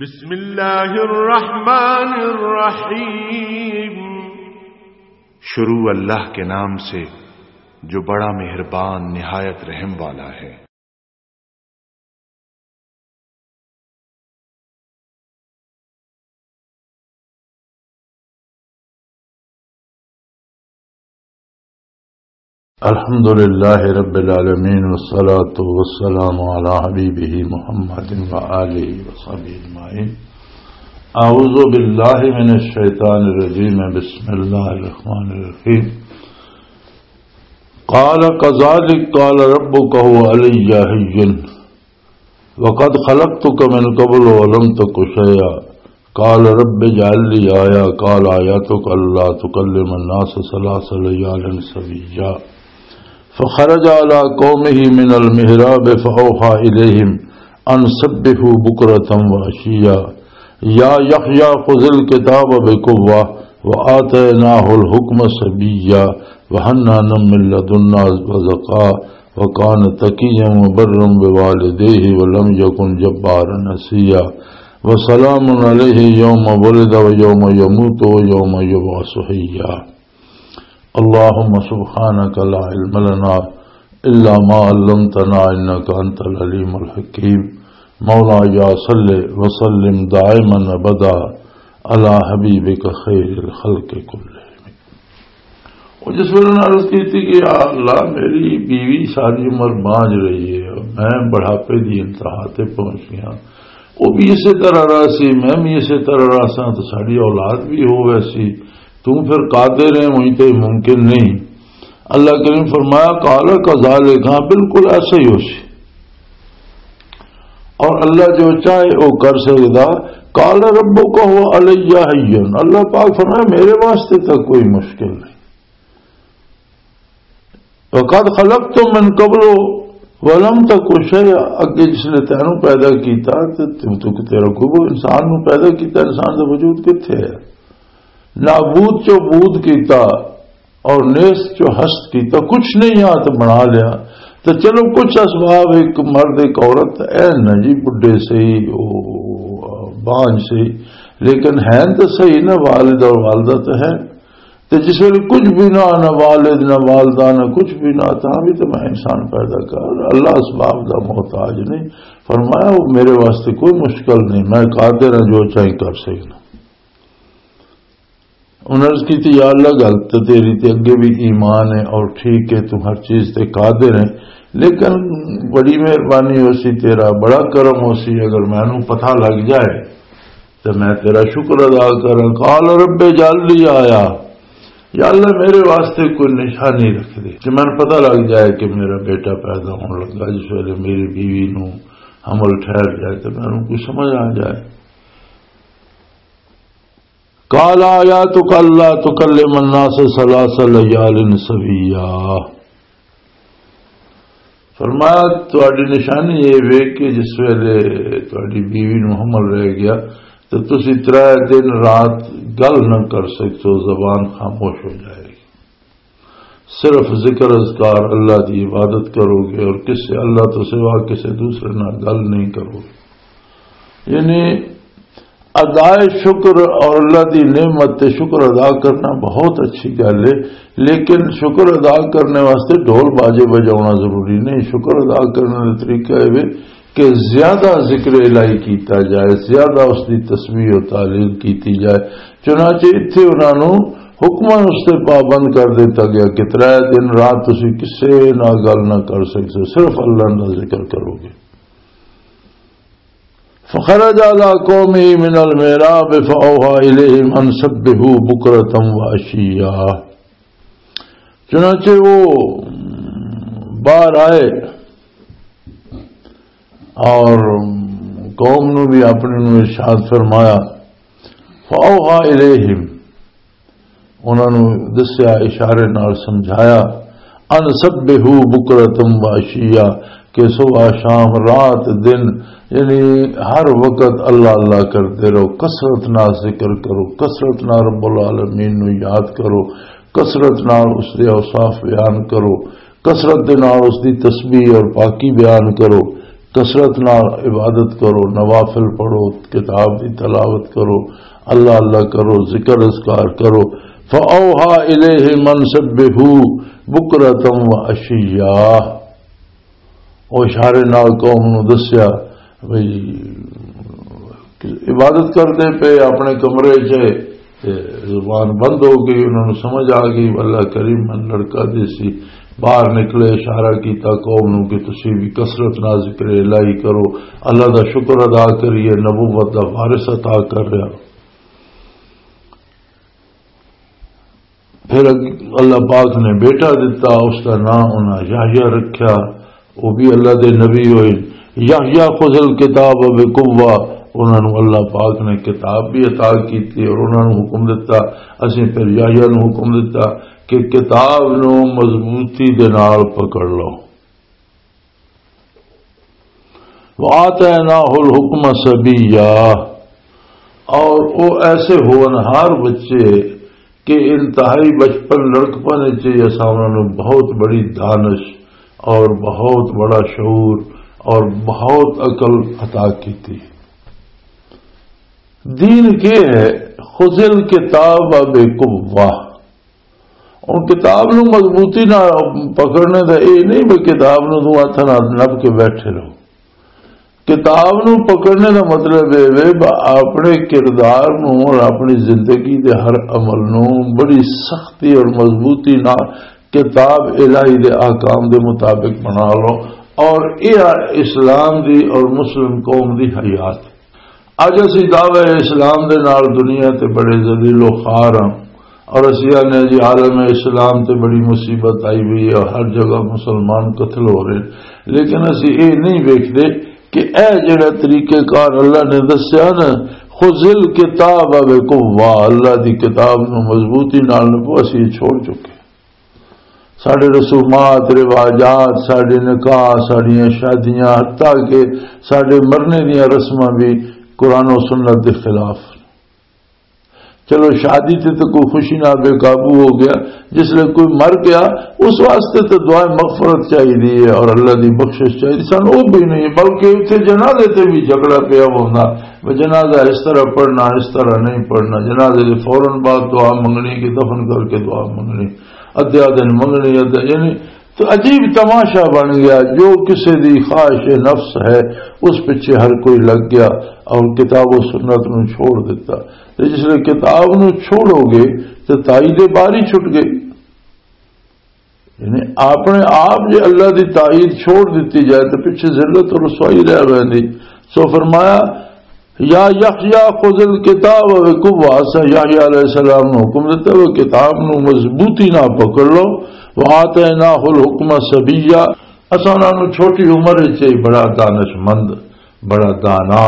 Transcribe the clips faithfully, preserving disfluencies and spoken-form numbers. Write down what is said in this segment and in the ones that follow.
بسم اللہ الرحمن الرحیم۔ شروع اللہ کے نام سے جو بڑا مہربان نہایت رحم والا ہے۔ الحمد لله رب العالمين، والصلاة والسلام على حبيبه محمد وآله وصحبه أجمعين. أعوذ بالله من الشيطان الرجيم. بسم الله الرحمن الرحيم. قال كذلك قال ربك هو علي هين وقد خلقتك من قبل ولم تك شيئا. قال رب اجعل لي آية. قال آيتك ألا تكلم الناس ثلاث ليال سويا. فخرج على قومه من المحراب فأوحى إليهم أن سبحوا بكرة وعشيا. يا يحيى خذ الكتاب بقوة وآتيناه الحكم صبيا وحنانا من لدنا وزكاة وكان تقيا وبرا بوالديه ولم يكن جبارا عصيا. وسلام عليه يوم ولد ويوم يموت ويوم يبعث حيا. اللهم سبحانك لا علم لنا إلا ما علمتنا إنك أنت العليم الحكيم. مولاي صل وسلم دائما أبدا على حبيبك خير الخلق كلهم. وہ جس ویلے انہوں نے عرض کی تھی کہ یا اللہ، میری بیوی ساری عمر بانجھ رہی ہے، میں بڑھاپے دی انتہا تے پہنچ گیا، وہ بھی اسی طرح رہا سی، میں بھی اسی طرح رہا سا، تو ساری اولاد بھی ہو ویسی، تو پھر قادر ہے، وہیں تے ممکن نہیں۔ اللہ کریم فرمایا، قال کذالک، ہاں، بالکل ایسا ہی ہو سی۔ اور اللہ جو چاہے وہ کر سکدا۔ قال ربک هو علی هین، اللہ پاک فرمایا، میرے واسطے تو کوئی مشکل نہیں۔ وقد خلقت من قبل ولم تک شیئا، اگے جس نے تینوں پیدا کیتا تے تو، تو تیرا کوئی، وہ انسان نو پیدا کیتا، انسان دا وجود کتھے ہے؟ نابود چو بود کیتا اور نیست چو ہست کیتا، کچھ نہیں آ تے بنا لیا۔ تو چلو، کچھ اسباب، ایک مرد، ایک عورت، اے نہ جی، بڈھے سہی، او بانج سہی، لیکن ہیں تو سہی نا، والد اور والدہ تو ہے۔ تے جس ویلے کچھ بھی نہ، نہ والد، نہ والدہ، نہ کچھ بھی نہ، تاں بھی تے میں انسان پیدا کر، اللہ اسباب دا محتاج نہیں۔ فرمایا، وہ میرے واسطے کوئی مشکل نہیں، میں قادر ہاں جو چاہے کر سکنا۔ انہوں نے عرض کی تھی، یا اللہ، گل تے تیری تے اگے بھی ایمان ہے اور ٹھیک ہے، تو ہر چیز تے قادر ہے، لیکن بڑی مہربانی ہو سی تیرا، بڑا کرم ہو سی، اگر مینوں پتہ لگ جائے تے میں تیرا شکر ادا کراں۔ قال رب اجعل لی آیہ، یا اللہ، میرے واسطے کوئی نشانی رکھ دے کہ مینوں پتہ لگ جائے کہ میرا بیٹا پیدا ہون لگا، جس ویلے میری بیوی نو حمل ٹھہر جائے تے مینوں کوئی سمجھ آ جائے۔ قال آیاتک الا تکلم الناس ثلاث لیال سویا۔ فرمایا، تہاڈی نشانی یہ وے کہ جس ویلے تہاڈی بیوی نو حمل رہ گیا، تو تسی ترے دن رات گل نہ کر سکتے، زبان خاموش ہو جائے گی۔ صرف ذکر اذکار، اللہ دی عبادت کرو گے اور کسے، اللہ تو سوا کسے دوسرے نال گل نہیں کرو گے۔ یعنی ادائے شکر اور اللہ دی نعمت تے شکر ادا کرنا بہت اچھی گل ہے، لیکن شکر ادا کرنے واسطے ڈھول باجے بجاونا ضروری نہیں۔ شکر ادا کرنے کا طریقہ یہ ہے کہ زیادہ ذکر الہی کیتا جائے، زیادہ اس دی تسبیح و تہلیل کیتی جائے۔ چنانچہ اتھے انہاں نوں حکماً اس تے پابند کر دتا گیا کہ ترے دن رات تسی کسے نال گل نہ کر سکتے، صرف اللہ دا ذکر کرو گے۔ فخرج على قومه من المحراب فأوحى إليهم أن سبحوا بكرة وعشيا۔ چنانچہ وہ باہر آئے اور قوم نو بھی اپنے نو ارشاد فرمایا، فأوحى إليهم، انہاں نو دسیا، اشارے نال سمجھایا، ان سبحوا بکرۃ و عشیا، کہ صبح، شام، رات، دن، یعنی ہر وقت اللہ اللہ کرتے رہو، کثرت نال ذکر کرو، کثرت نال رب العالمین نو یاد کرو، کثرت نال اس دے اوصاف بیان کرو، کثرت دے نال اس دی تسبیح اور پاکی بیان کرو۔ کثرت نال عبادت کرو، نوافل پڑھو، کتاب دی تلاوت کرو، اللہ اللہ کرو، ذکر اذکار کرو۔ فَأَوْحَى إِلَيْهِ مَنْ سَبِّحُوا بُكْرَةً وَعَشِيًّا۔ او اشارے نال قوم نو دسیا بھئی، عبادت کردے پے، اپنے کمرے چ تے زبان بند ہو گئی، انہاں نوں سمجھ آ گئی، اللہ کریم من لڑکا دے سی۔ باہر نکلے، اشارہ کیتا قوم نوں کہ تسی بھی کثرت نال ذکر الہی کرو، اللہ دا شکر ادا کریے، نبوت دا وارث عطا کر رہا۔ پھر اگ-، اللہ پاک نے بیٹا دتا، اس دا نام انہاں یحییٰ رکھیا۔ وہ بھی اللہ دے نبی ہوئے۔ یحییٰ خذ الکتاب بقوہ، انہاں نوں اللہ پاک نے کتاب بھی عطا کیتی اور انہاں نوں حکم دتا۔ اسیں پھر یحییٰ نوں حکم دتا کہ کتاب نوں مضبوطی دے نال پکڑ لو۔ وآتیناہ الحکم صبیا، اور وہ ایسے ہونہار بچے کہ انتہائی بچپن لڑکپن وچ ہی اساں انہاں نوں بہت بڑی دانش اور بہت بڑا شعور اور بہت عقل عطا کیتی۔ دین کے ہے؟ خذ الکتاب بقوہ۔ ان کتاب نو مضبوطی نال پکڑنے دا اے نہیں بھی کتاب نو تو ہتھ نال نپ کے بیٹھے رہو۔ کتاب نو پکڑنے دا مطلب اے وے ب-، اپنے کردار نو اور اپنی زندگی دے ہر عمل نو بڑی سختی اور مضبوطی نال کتاب الہی دے احکام دے مطابق بنا لو، اور یہ اسلام دی اور مسلم قوم دی حیات۔ اج اسی دعوی اسلام دے نال دنیا تے بڑے ذلیل و خوار ہاں، اور اسی آنے جی عالم اسلام تے بڑی مصیبت آئی ہوئی ہے اور ہر جگہ مسلمان قتل ہو رہے، لیکن اسی اے نہیں ویکھدے کہ اے جڑا طریقہ کار اللہ نے دسیا نا، خذ الکتاب بقوہ، اللہ دی کتاب نو مضبوطی نال نپو، اسی یہ چھوڑ چکے۔ ساڈے رسومات، رواجات، ساڈے نکاح، ساڈیاں شادیاں، حتیٰ کہ ساڈے مرنے دیاں رسماں بھی قرآن و سنت دے خلاف۔ چلو، شادی تے تو کوئی خوشی نہ بے قابو ہو گیا، جس لئے کوئی مر گیا، اس واسطے تو دعا مغفرت چاہیے اور اللہ دی بخشش چاہیے۔ سن وہ بھی نہیں، بلکہ اتنے جنازے تے بھی جھگڑا پیا ہوندا، وہ جنازہ اس طرح پڑھنا، اس طرح نہیں پڑھنا، جنازے دے فوراً بعد دعا منگنی کہ دفن کر کے دعا منگنی۔ ادھیا دن منگنی، ادھیا، یعنی تو عجیب تماشا بن گیا۔ جو کسے دی خواہش نفس ہے، اس پیچھے ہر کوئی لگ گیا اور کتاب و سنت نو چھوڑ دیتا۔ تے جس لئے کتاب نو چھوڑو گے تو تائید باری چھٹ گئی۔ یعنی اپنے آپ جے اللہ دی تائید چھوڑ دیتی جائے تو پیچھے ذلت اور رسوائی رہ ویندی۔ سو فرمایا، یا یحییٰ خذ الکتاب بقوہ، اساں یحییٰ علیہ السلام نو حکم دیتا، وہ کتاب نو مضبوطی نہ پکڑ لو۔ وآتیناہ الحکم صبیا، اساں انہاں نو چھوٹی عمر وچ ہی بڑا دانش مند، بڑا دانا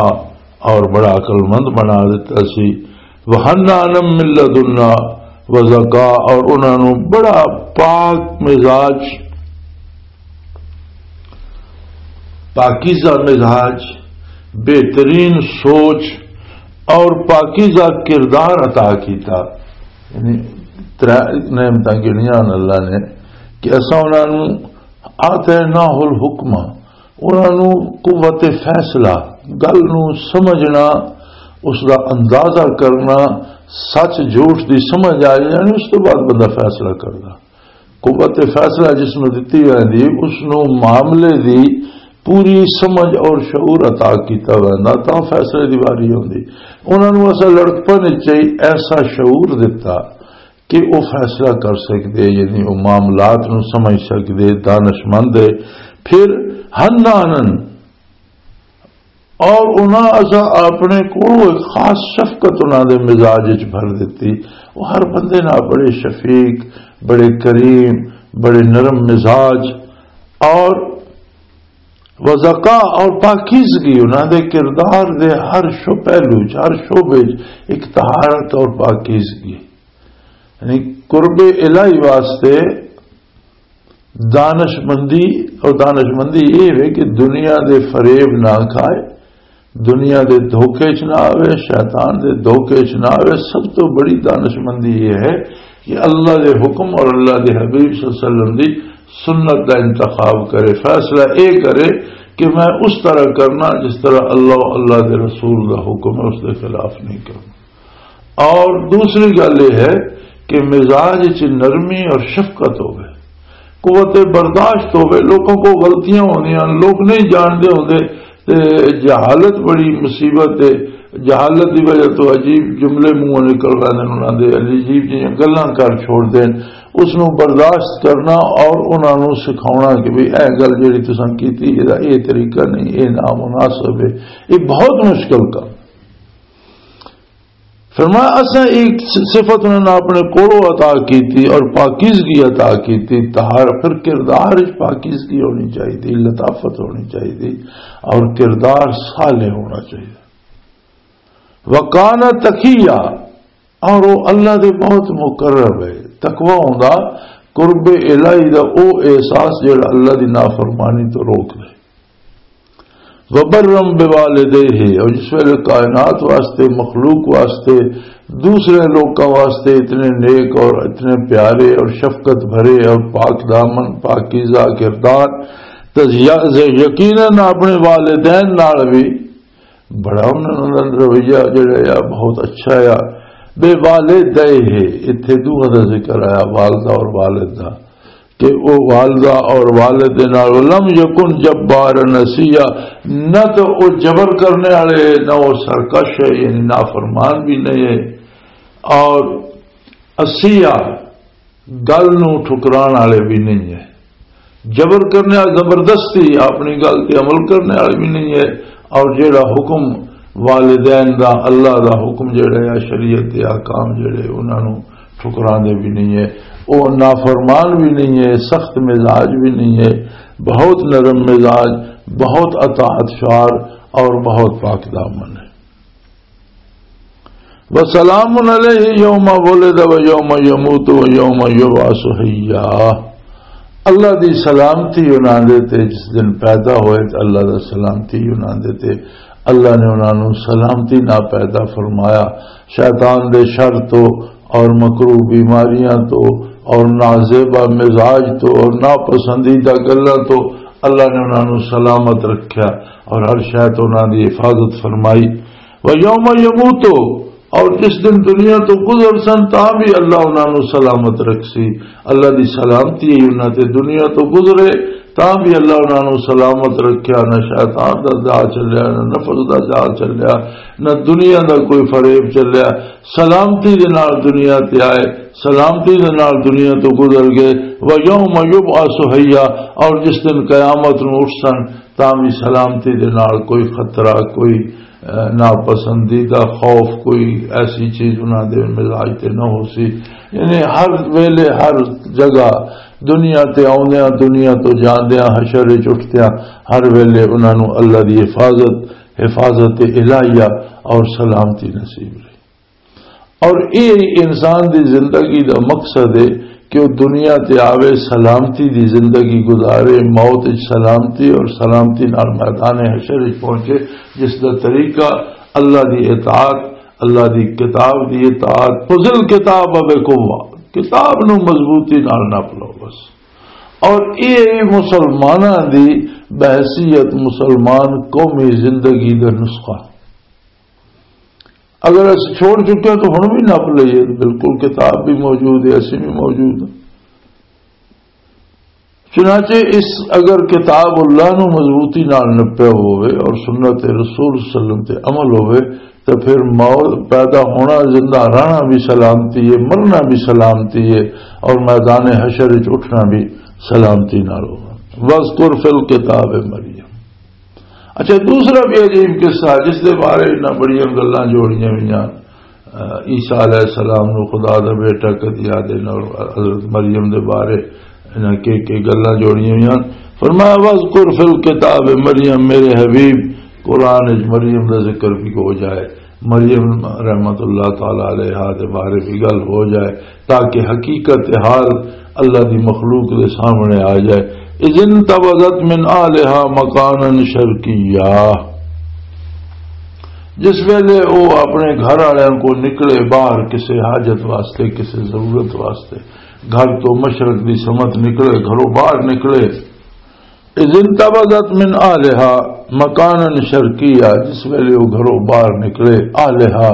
اور بڑا عقل مند بنا دیتا سی۔ وحنانا من لدنا وزکا، اور انہاں نو بڑا پاک مزاج، پاکیزہ مزاج، بہترین سوچ اور پاکیزہ کردار عطا کیتا۔ یعنی ترے نعمتاں گنیاں اللہ نے کہ اساں انہاں نوں آتیناہ الحکمہ، انہاں نوں قوت فیصلہ، گل نوں سمجھنا، اس دا اندازہ کرنا، سچ جھوٹ دی سمجھ آ جائے، یعنی اس تو بعد بندہ فیصلہ کردا۔ قوت فیصلہ جس نوں دتی ویندی، اس نوں معاملے دی پوری سمجھ اور شعور عطا کیتا ویندا، تاں فیصلے دی واری ہوندی۔ انہاں نوں اساں لڑکپن وچ ہی ایسا شعور دتا کہ وہ فیصلہ کر سکدے، یعنی وہ معاملات نوں سمجھ سکدے، دانشمند ہے۔ پھر حنانن، اور انہاں اساں اپنے کولوں ایک خاص شفقت انہاں دے مزاج وچ بھر دتی۔ وہ ہر بندے نال بڑے شفیق، بڑے کریم، بڑے نرم مزاج اور وذکاء اور پاکیزگی، انہاں دے کردار دے ہر شو-، پہلو چ، ہر شعبے چ ایک طہارت اور پاکیزگی۔ یعنی قرب الہی واسطے دانش مندی، اور دانش مندی یہ ہے کہ دنیا دے فریب نہ کھائے، دنیا دے دھوکے چ نہ آوے، شیطان دے دھوکے چ نہ آوے۔ سب تو بڑی دانش مندی یہ ہے کہ اللہ دے حکم اور اللہ دے حبیب صلی اللہ علیہ وسلم دی سنت دا انتخاب کرے، فیصلہ اے کرے کہ میں اس طرح کرنا جس طرح اللہ، اللہ دے رسول دا حکم ہے، اس دے خلاف نہیں کرنا۔ اور دوسری گل یہ ہے کہ مزاج چ نرمی اور شفقت ہوے، قوت برداشت ہوے۔ لوگوں کو غلطیاں ہوندیاں، لوگ نہیں جانتے ہوندے، تے جہالت بڑی مصیبت ہے۔ جہالت دی وجہ تو عجیب جملے منہوں نکل رہے ہیں، انہاں دے عجیب جیاں گلاں کر چھوڑ دین۔ اس نوں برداشت کرنا اور انہاں نوں سکھاونا کہ بھی اے گل جڑی تساں کیتی، اے طریقہ نہیں، اے نامناسب ہے، یہ بہت مشکل کام۔ فرمایا، اساں ایک صفت انہاں نے اپنے کولوں عطا کیتی اور پاکیزگی عطا کیتی، طہارت، پھر کردار وچ پاکیزگی ہونی چاہیے، لطافت ہونی چاہیے اور کردار صالح ہونا چاہیے۔ وکان تقیا، اور وہ اللہ دے بہت مقرب ہے۔ تقوی ہوندا قرب الہی دا او احساس جڑا اللہ دی نافرمانی تو روک دے۔ وبرم بوالدیہ، اور جس ویلے کائنات واسطے، مخلوق واسطے، دوسرے لوکاں واسطے اتنے نیک اور اتنے پیارے اور شفقت بھرے اور پاک دامن، پاکیزہ کردار، تے ز-، یقیناً اپنے والدین نال بھی بڑا انہاں دا رویہ جڑا آ، بہت اچھا آ۔ بے والدہ ہے، اتھے دوہاں دا ذکر آیا، والدہ اور والد دا، کہ او والدہ اور والد دے نال، ولم یکن جبار نسیہ، نہ تو او جبر کرنے والے، نہ او سرکش ہے، یعنی نافرمان بھی نہیں ہے، اور اسیہ، گل نوں ٹھکران والے بھی نہیں ہے، جبر کرنے والا، زبردستی اپنی گل تے عمل کرنے والے بھی نہیں ہے، اور جیڑا حکم والدین دا، اللہ دا حکم جیڑا ہے، شریعت دے احکام جیڑے، انہاں نوں ٹھکراندے بھی نہیں ہے، او نافرمان بھی نہیں ہے، سخت مزاج بھی نہیں ہے، بہت نرم مزاج، بہت اطاعت شعار اور بہت پاک دامن ہے۔ وسلام علیہ یوم ولد و یوم یموت و یوم یبعث حیا۔ اللہ دی سلامتی انہاں دے تے، جس دن پیدا ہوئے تے اللہ دا سلامتی انہاں دے تے۔ اللہ نے انہاں نوں سلامتی نہ پیدا فرمایا، شیطان دے شر تو اور مکروہ بیماریاں تو اور نازیبا مزاج تو اور ناپسندیدہ گلاں تو اللہ نے انہاں نوں سلامت رکھیا اور ہر شے تو انہاں دی حفاظت فرمائی۔ و یوم یموتو، اور جس دن دنیا تو گزر سن، تاں بھی اللہ انہاں نوں سلامت رکھ سی۔ اللہ دی سلامتی ہے انہاں تے، دنیا تو گزرے، تاں بھی اللہ انہاں نوں سلامت رکھیا۔ نہ شیطان دا جال چلیا، نہ نفس دا جال چلیا، نہ دنیا دا کوئی فریب چلیا۔ سلامتی دے نال دنیا تے آئے، سلامتی دے نال دنیا تو گزر گئے۔ و یوم یبعث حیا، اور جس دن قیامت نوں اٹھ سن، تاں بھی سلامتی دے نال، کوئی خطرہ، کوئی، اے، ناپسندیدہ خوف، کوئی ایسی چیز انہاں دے مزاج تے نہ ہو سی۔ یعنی ہر ویلے، ہر جگہ دنیا تے آوندیاں، دنیا تو جاندیاں، حشر وچ اٹھدیاں، ہر ویلے انہاں نوں اللہ دی حفاظت، حفاظت الہیہ اور سلامتی نصیب رہی۔ اور یہ انسان دی زندگی دا مقصد ہے کہ وہ دنیا تے آوے، سلامتی دی زندگی گزارے، موت وچ سلامتی اور سلامتی نال میدان حشر وچ پہنچے، جس دا طریقہ اللہ دی اطاعت، اللہ دی کتاب دی اطاعت۔ خذ الکتاب بقوہ، کتاب نو مضبوطی نال نپ لو بس۔ اور یہ مسلماناں دی بحیثیت مسلمان قومی زندگی دا نسخہ۔ اگر اس چھوڑ چکے ہیں تو ہن بھی نپ لئیے، بالکل کتاب بھی موجود ہے، اسی بھی موجود ہے۔ چنانچہ اس، اگر کتاب اللہ نو مضبوطی نال نپیا ہوئے اور سنت رسول صلی اللہ علیہ وسلم تے عمل ہوئے، تو پھر موت، پیدا ہونا، زندہ رہنا بھی سلامتی ہے، مرنا بھی سلامتی ہے، اور میدان حشر وچ اٹھنا بھی سلامتی نال ہوگا۔ وَاذْكُرْ فِي الْكِتَابِ مَرْيَمَ۔ اچھا، دوسرا بھی عجیب قصہ جس دے بارے انہاں بڑیاں گلاں جوڑیاں ہوئیاں۔ آ، عیسیٰ علیہ السلام نو خدا دا بیٹا کدی آدھے نال، حضرت مریم دے بارے انہاں کے کے گلاں جوڑیاں ہوئیاں۔ فرمایا، "وَاذْكُرْ فِي الْكِتَابِ مَرْيَمَ"، میرے حبیب، قرآن وچ مریم دا ذکر بھی ہو جائے، مریم رحمت اللہ تعالی علیہا دے بارے بھی گل ہو جائے، تاکہ حقیقت حال اللہ دی مخلوق دے سامنے آ جائے۔ اذ انتبذت من اہلہا مکانا شرقیا، جس ویلے وہ اپنے گھر والوں کو نکلے باہر کسی حاجت واسطے، کسی ضرورت واسطے، گھر تو مشرق دی سمت نکلے، گھروں باہر نکلے، اذ انتبذت من اہلہا مکانا شرقیا، جس ویلے وہ گھروں باہر نکلے، اہلہا،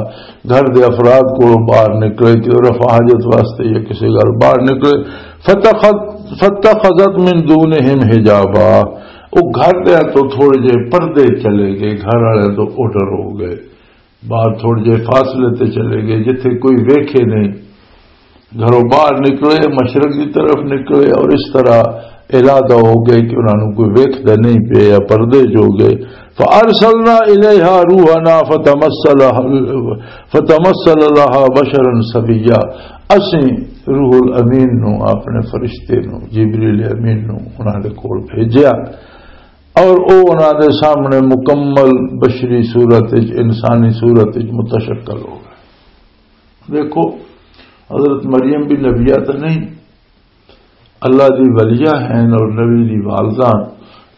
گھر دے افراد کولوں باہر نکلے کہ وہ رفع حاجت واسطے یا کسی گھر باہر نکلے، فتخذ-، فتخذت من دونہم حجابا، وہ گھر دے تو تھوڑے جے پردے چلے گئے، گھر والے تو اوڈر ہو گئے، باہر تھوڑے جے فاصلے تے چلے گئے جتھے کوئی ویکھے نہیں۔ گھروں باہر نکلے، مشرق کی طرف نکلے اور اس طرح ارادہ ہو گئے کہ انہوں کو ویکھدا نہیں پیا یا پردے چ ہو گئے۔ فارسلنا الیہا روحنا فتمثل، فتمثل لہا بشرا سویا۔ اسیں روح الامین نو، اپنے فرشتے نو، جبریل امین نو انہاں دے کول بھیجیا اور او انہاں دے سامنے مکمل بشری صورت وچ، انسانی صورت وچ متشکل ہو گئے۔ دیکھو، حضرت مریم بھی نبیہ تو نہیں، اللہ دی ولیہ ہیں اور نبی دی والدہ۔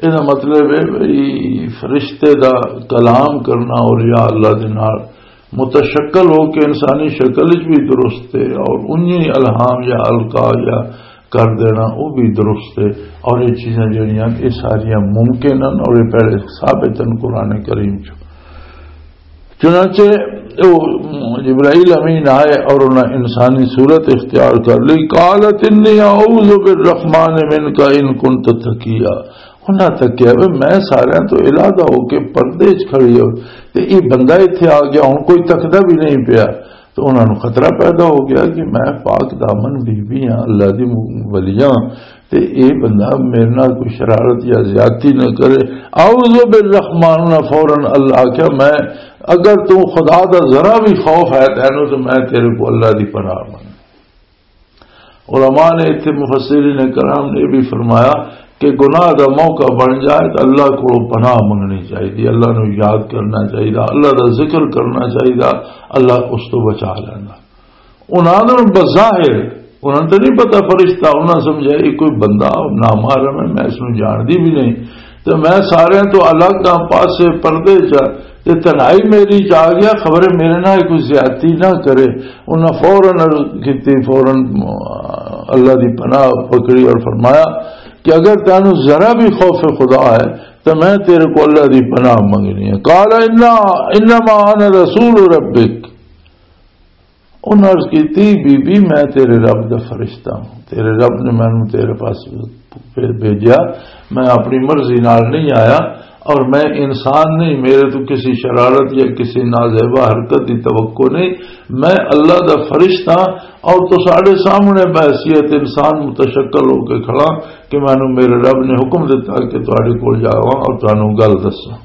یہ مطلب ہے بھئی فرشتے دا کلام کرنا اور یا اللہ دے نال متشکل ہو کے انسانی شکل وچ بھی درست ہے اور انہی الہام یا القا یا کر دینا وہ بھی درست ہے۔ اور یہ چیزاں جڑیاں یہ ساریاں ممکن ہیں اور یہ پہلے ثابت ہیں قرآن کریم چ۔ چنانچہ وہ جبرائیل امین آئے اور انہاں انسانی صورت اختیار کر لی۔ قالت انی اعوذ بالرحمن منک ان کنت تقیا۔ انہاں تکیا، "وے میں ساریاں تو علیحدہ ہو کے پردے چ کھڑی ہو تے یہ بندہ اتھے آ گیا، ہن کوئی تکدا بھی نہیں پیا۔" تو انہاں نوں خطرہ پیدا ہو گیا کہ میں پاک دامن بی بی ہاں، اللہ دی م-، ولی ہاں، تے اے بندہ میرے نال کوئی شرارت یا زیادتی نہ کرے۔ اعوذ بالرحمن، انہاں فوراً اللہ آکھیا، میں، اگر تو خدا دا ذرا بھی خوف ہے تینوں تو میں تیرے کو اللہ دی پناہ منگ۔ علماء نے اتھے مفسرین کرام نے بھی فرمایا کہ گناہ دا موقع بن جائے تو اللہ کو پناہ منگنی چاہیے، اللہ نو یاد کرنا چاہیے، اللہ دا ذکر کرنا چاہیے، اللہ اس تو بچا لینا۔ انہاں نوں بظاہر، انہاں نوں تے نہیں پتا فرشتہ، انہاں سمجھا یہ کوئی بندہ نامحرم ہے، میں اس نوں جانتی بھی نہیں، تے میں سارے تو الگ ہاں، پاسے پردے چ، تے تنہائی میری چ آ گیا، خبر ہے میرے نال کوئی زیادتی نہ کرے۔ انہاں فوراً عرض کیتی، فوراً اللہ دی پناہ پکڑی اور فرمایا کہ اگر تینوں ذرا بھی خوف خدا ہے تو میں تیرے کو اللہ دی پناہ منگنی ہے۔ قال انا، انما انا رسول ربک۔ انہاں عرض کیتی، "بی بی، میں تیرے رب دا فرشتہ ہوں، تیرے رب نے مینوں تیرے پاس بھیجیا، میں اپنی مرضی نال نہیں آیا اور میں انسان نہیں، میرے تو کسی شرارت یا کسی نازیبا حرکت دی توقع نہیں، میں اللہ دا فرشتہ ہاں اور تو ساڈے سامنے بحیثیت انسان متشکل ہو کے کھڑا کہ مینوں میرے رب نے حکم دتا کہ تہاڈے کول جاواں اور تانوں گل دساں۔"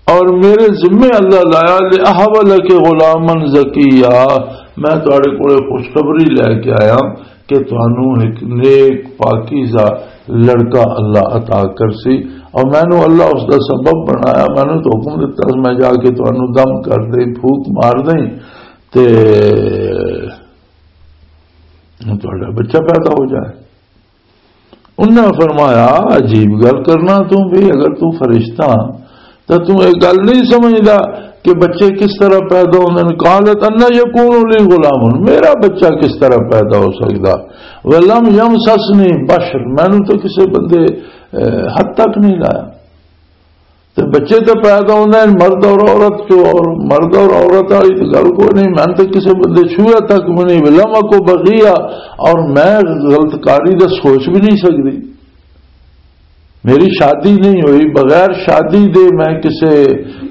اور میرے ذمے اللہ لایا، "لأهب لك غلاما زكيا"، میں تہاڈے کولے خوشخبری لے کے آیا کہ تانوں ایک نیک پاکیزہ لڑکا اللہ عطا کرسی، اور مینوں اللہ اس دا سبب بنایا، مینوں تو حکم دتا میں جا کے تانوں دم کر دیں، پھوک مار دیں، تے تہاڈا بچہ پیدا ہو جائے۔ انہاں فرمایا، "عجیب گل کرنا تو بھی، اگر تو فرشتہ ہاں، تو تو یہ گل نہیں سمجھدا کہ بچے کس طرح پیدا ہوندے نے؟" قالت، "ان یکون لی غلام"، میرا بچہ کس طرح پیدا ہو سکدا؟ "ولم یمسسنی بشر"، مینوں تو کسے بندے، اے، ہاتھ تک نہیں لایا۔ تے بچے تے پیدا ہوندے ہیں مرد اور عورت چوں، اور مرد اور عورت والی تے گل کوئی نہیں، میں تے کسے بندے چھویا تک بھی نہیں، لم اکو بغیا، اور میں غلط کاری دا سوچ بھی نہیں سکدی۔ میری شادی نہیں ہوئی، بغیر شادی دے میں کسے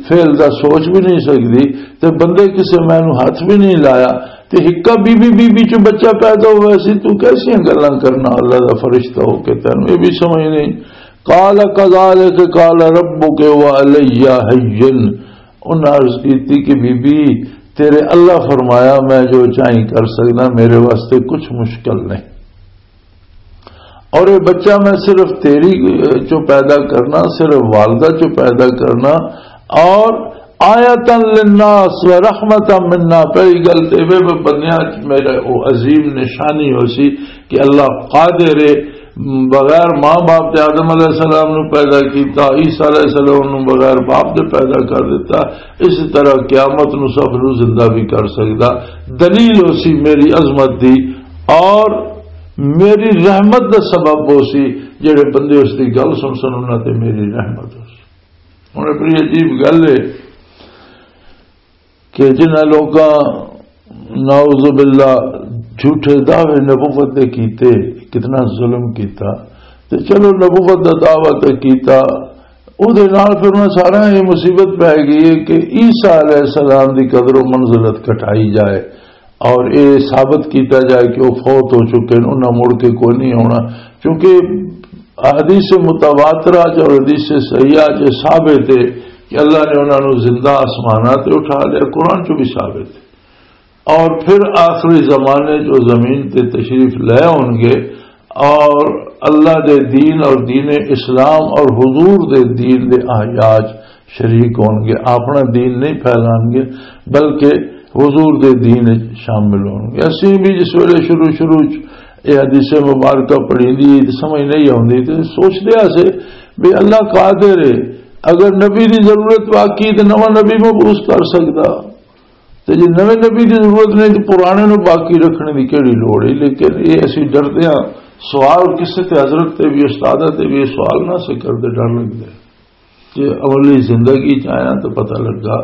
فعل دا سوچ بھی نہیں سکدی، تے بندے کسے مینوں ہاتھ بھی نہیں لایا، تے ہکا بی بی، بی بی چوں بچہ پیدا ہوا سی، تو کیسیاں گلاں کرنا اللہ دا فرشتہ ہو کے، تینوں یہ بھی سمجھ نہیں۔ قال كذلك قال ربك هو علي هين۔ انہاں عرض کیتی کہ بی بی، تیرے اللہ فرمایا، میں جو چاہیں کر سکدا، میرے واسطے کچھ مشکل نہیں۔ اور یہ بچہ میں صرف تیری چوں پیدا کرنا، صرف والدہ چوں پیدا کرنا، اور آیتا للناس و رحمتا منا، پہلی گل تے وے بندیاں چ میرا او عظیم نشانی ہو سی کہ اللہ قادر ہے، بغیر ماں باپ دے آدم علیہ السلام نو پیدا کیتا، عیسیٰ علیہ السلام نو بغیر باپ دے پیدا کر دیتا، اس طرح قیامت نو سب نو زندہ بھی کر سکدا۔ دلیل ہو سی میری عظمت دی، اور میری رحمت دا سبب ہو سی، جڑے بندے اس دی گل سن سن، انہاں تے میری رحمت ہو سی۔ ہن بڑی عجیب گل ہے کہ جنہاں لوکاں، نعوذ باللہ، جھوٹے دعوے نبوت دے کیتے، کتنا ظلم کیتا۔ تے چلو، نبوت دا دعویٰ تے کیتا، او دے نال پھر انہاں سارا یہ مصیبت پی گئی ہے کہ عیسیٰ علیہ السلام دی قدر و منزلت گھٹائی جائے اور یہ ثابت کیتا جائے کہ وہ فوت ہو چکے ہیں، انہاں مڑ کے کوئی نہیں آنا۔ کیونکہ حدیث متواترہ چ اور حدیث صحیحہ چ ثابت ہے کہ اللہ نے انہاں نوں زندہ آسماناں تے اٹھا لیا، قرآن چ بھی ثابت ہے۔ اور پھر آخری زمانے جو زمین تے تشریف لے ہون گے اور اللہ دے دین اور دین اسلام اور حضور دے دین دے احیاء چ شریک ہون گے، اپنا دین نہیں پھیلان گے، بلکہ حضور دے دین وچ شامل ہون گے۔ اسی بھی جس ویلے شروع شروع چ یہ حدیث مبارکہ پڑھی دی تے سمجھ نہیں آوندی تے سوچ لیا سے بھی اللہ قادر ہے، اگر نبی دی ضرورت واقعی تے نواں نبی مبعوث کر سکدا۔ تے جے نویں نبی دی ضرورت نہیں تے پرانے نوں باقی رکھنے دی کیڑی لوڑ ہے؟ لیکن یہ اسی ڈردے ہاں، سوال کسے تے حضرت تے بھی، استاداں تے بھی یہ سوال نہ سے کردے، ڈر لگدے۔ جے اولی زندگی چ آیا تو پتہ لگا،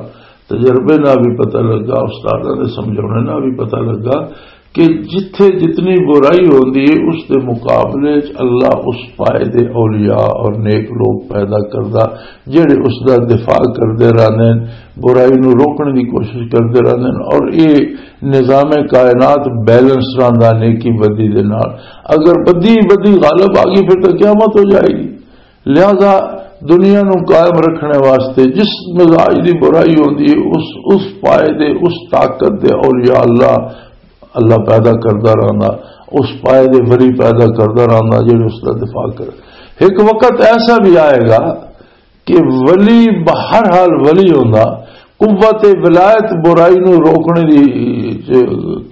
تجربے نال بھی پتہ لگا، استاداں دے سمجھاونے نال بھی پتہ لگا کہ جتھے جتنی برائی ہوندی ہے، اس دے مقابلے چ اللہ اس پائے دے اولیاء اور نیک لوگ پیدا کردا، جڑے اس دا دفاع کردے رہندے ہیں، برائی نو روکنے دی کوشش کردے رہندے ہیں۔ اور یہ نظام کائنات بیلنس رہندا نیکی بدی دے نال۔ اگر بدی بدی غالب آ گئی، پھر تو قیامت ہو جائے گی۔ لہذا دنیا نو قائم رکھنے واسطے جس مزاج دی برائی ہوندی ہے، اس، اس پائے دے، اس طاقت دے اولیاء اللہ، اللہ پیدا کردا رہندا، اس پائے دے ولی پیدا کردا رہندا جڑے اس دا دفاع کرے۔ ایک وقت ایسا بھی آئے گا کہ ولی بہرحال ولی ہوندا، قوت ولایت برائی نو روکنے دی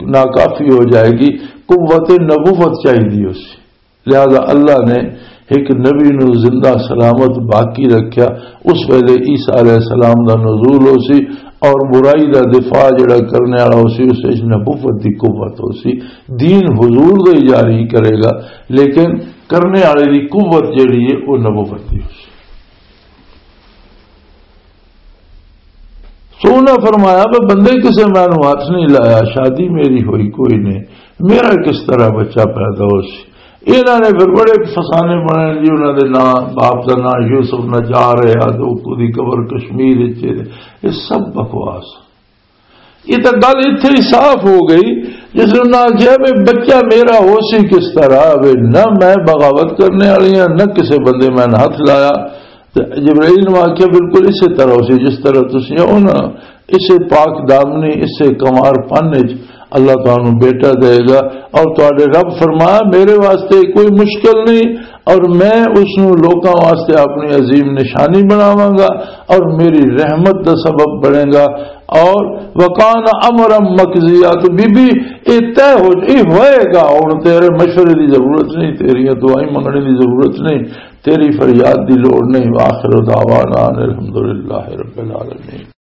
ناکافی ہو جائے گی، قوت نبوت چاہیے اسی۔ لہذا اللہ نے ایک نبی نو زندہ سلامت باقی رکھیا۔ اس ویلے عیسیٰ علیہ السلام دا نزول ہو سی اور برائی دا دفاع جڑا کرنے والا ہو سی، اس وچ نبوت دی قوت ہو سی۔ دین حضور دا ہی جاری کرے گا، لیکن کرنے والے دی قوت جڑی ہے، وہ نبوت دی ہو سی۔ سو انہاں فرمایا، "میں بندے کسے میں نوں ہاتھ نہیں لایا، شادی میری ہوئی کوئی نہیں، میرا کس طرح بچہ پیدا ہو سی؟" انہاں نے پھر بڑے فسانے بنائے جی، انہاں دے نام، باپ دا نام یوسف نجار ہے، آدھو کو دی قبر کشمیر وچ ہے۔ یہ سب بکواس۔ یہ تو گل اتھے ہی صاف ہو گئی، جس نے انہاں آخیا، "بھی بچہ میرا ہو سی کس طرح؟" بھی نہ میں بغاوت کرنے والی ہاں، نہ کسے بندے میں ہاتھ لایا۔ تے جبرائیل نے آخیا، "بالکل اسی طرح ہو سی جس طرح تسی ہو نا، اسے پاک دامنی، اسے کمار پن وچ اللہ تانوں بیٹا دے گا۔" اور تہاڈے رب فرمایا، "میرے واسطے کوئی مشکل نہیں، اور میں اس نوں لوکاں واسطے اپنی عظیم نشانی بناواں گا، اور میری رحمت دا سبب بنے گا۔" اور وکان امرا مقضیا، تو بی بی، اے طے ہو، اے ہوئے گا، ہن تیرے مشورے دی ضرورت نہیں، تیریاں دعائیں منگنے دی ضرورت نہیں، تیری فریاد دی لوڑ نہیں۔ وآخر دعوانا ان الحمدللہ رب العالمین۔